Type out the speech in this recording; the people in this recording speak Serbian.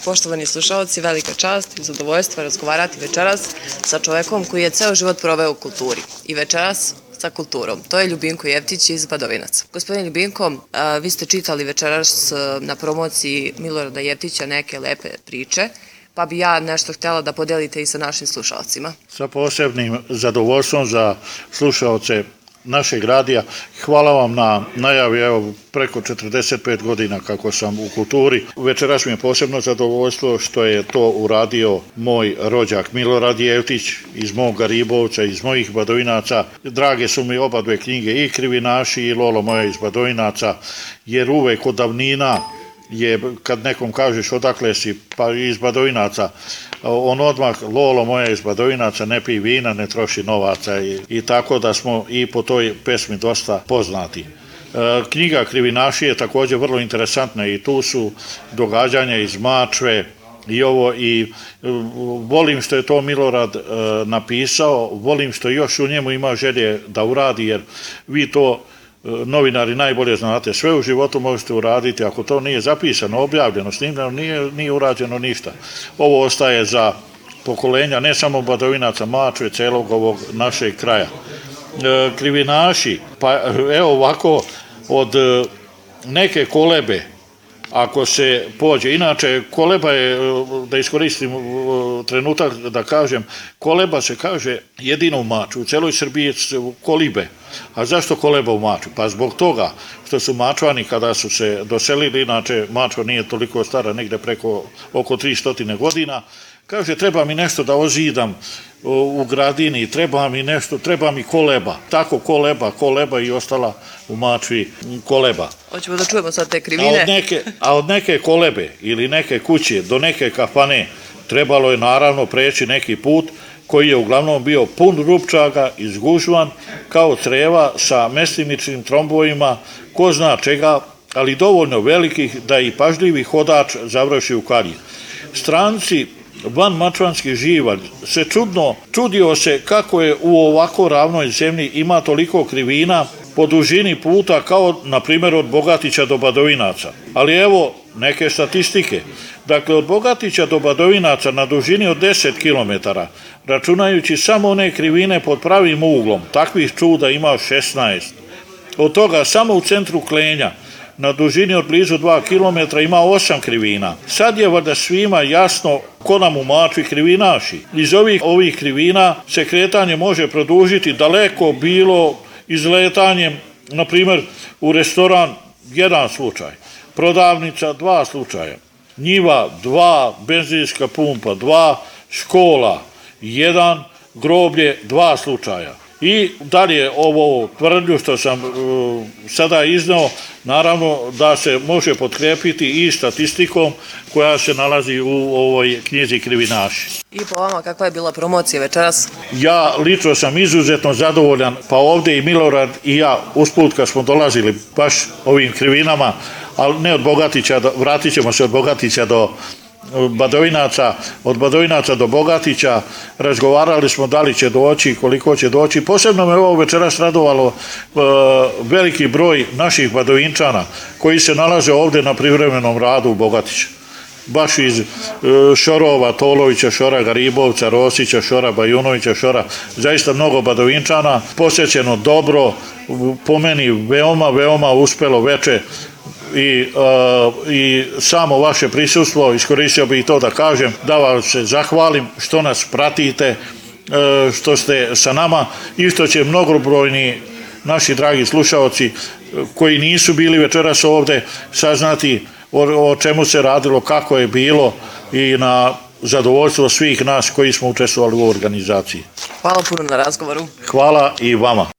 Poštovani slušalci, velika čast i zadovoljstvo razgovarati večeras sa čovekom koji je ceo život proveo u kulturi i večeras sa kulturom. To je Ljubinko Jeftić iz Badovinaca. Gospodin Ljubinko, vi ste čitali večeras na promociji Milorada Jeftića neke lepe priče, pa bi ja nešto htjela da podelite i sa našim slušalcima. Sa posebnim zadovoljstvom za slušalce našeg radija. Hvala vam na najavi, evo preko 45 godina kako sam u kulturi. Večeras mi je posebno zadovoljstvo što je to uradio moj rođak Milorad Jeftić iz mog Garibovca, iz mojih Badovinaca. Drage su mi oba dve knjige, i Krivinaši i Lolo moja iz Badovinaca, jer uvek od davnina je, kad nekom kažeš odakle si, pa iz Badovinaca, on odmah, Lolo moja iz Badovinaca, ne pije vina, ne troši novaca i tako da smo i po toj pesmi dosta poznati. Knjiga Krivinaši je također vrlo interesantna i tu su događanja iz Mačve i ovo, i volim što je to Milorad napisao, volim što još u njemu ima želje da uradi, jer vi to novinari najbolje znate, sve u životu možete uraditi, ako to nije zapisano, objavljeno, snimljeno, nije urađeno ništa. Ovo ostaje za pokolenja, ne samo Badovinaca, Mačve, celog ovog našeg kraja. Krivinaši, pa evo ovako, od neke kolebe, ako se pođe, inače koleba je, da iskoristim trenutak da kažem, koleba se kaže jedino u Mačvi, u celoj Srbiji su kolibe. A zašto koleba u Mačvi? Pa zbog toga što su Mačvani kada su se doselili, inače Mačva nije toliko stara, negde preko oko 300 godina, kaže treba mi nešto da ozidam u gradini, treba mi koleba. Tako koleba i ostala u Mačvi koleba. Hoćemo da čujemo sad te krivine. A od neke kolebe ili neke kuće do neke kafane trebalo je naravno preći neki put koji je uglavnom bio pun rupčaga, izgužvan, kao creva sa mestimičnim trombojima, ko zna čega, ali dovoljno velikih da i pažljivi hodač završi u kalji. Stranci van mačvanski živalj se čudio se kako je u ovako ravnoj zemlji ima toliko krivina po dužini puta kao, na primjer, od Bogatića do Badovinaca. Ali evo neke statistike. Dakle, od Bogatića do Badovinaca na dužini od 10 km, računajući samo one krivine pod pravim uglom, takvih čuda ima 16. Od toga samo u centru Klenja, na dužini od blizu 2 km, ima 8 krivina. Sad je valjda svima jasno ko nam u Mačvi krivinaši. Iz ovih krivina se kretanje može produžiti daleko, bilo izletanjem, na primjer, u restoran 1 slučaj, prodavnica 2 slučaja, njiva 2, benzinska pumpa 2, škola 1, groblje 2 slučaja. I dalje ovo tvrdnju što sam sada izneo, naravno da se može potkrepiti i statistikom koja se nalazi u ovoj knjizi Krivinaši. I po vama, kakva je bila promocija večeras? Ja lično sam izuzetno zadovoljan, pa ovdje i Milorad i ja usput kad smo dolazili baš ovim krivinama, ali ne od Bogatića, vratit ćemo se od Bogatića do Badovinaca, od Badovinaca do Bogatića, razgovarali smo da li će doći, koliko će doći. Posebno me ovo večeras radovalo veliki broj naših Badovinčana koji se nalaze ovdje na privremenom radu u Bogatiću. Baš iz Šorova, Tolovića, Šora, Garibovca, Rosića, Šora, Bajunovića, Šora, zaista mnogo Badovinčana, posjećeno dobro, po meni veoma uspelo veče. I samo vaše prisustvo, iskoristio bih i to da kažem, da vam se zahvalim što nas pratite, što ste sa nama i što će mnogobrojni naši dragi slušaoci koji nisu bili večeras ovdje saznati o čemu se radilo, kako je bilo i na zadovoljstvo svih nas koji smo učestvovali u organizaciji. Hvala puno na razgovoru. Hvala i vama.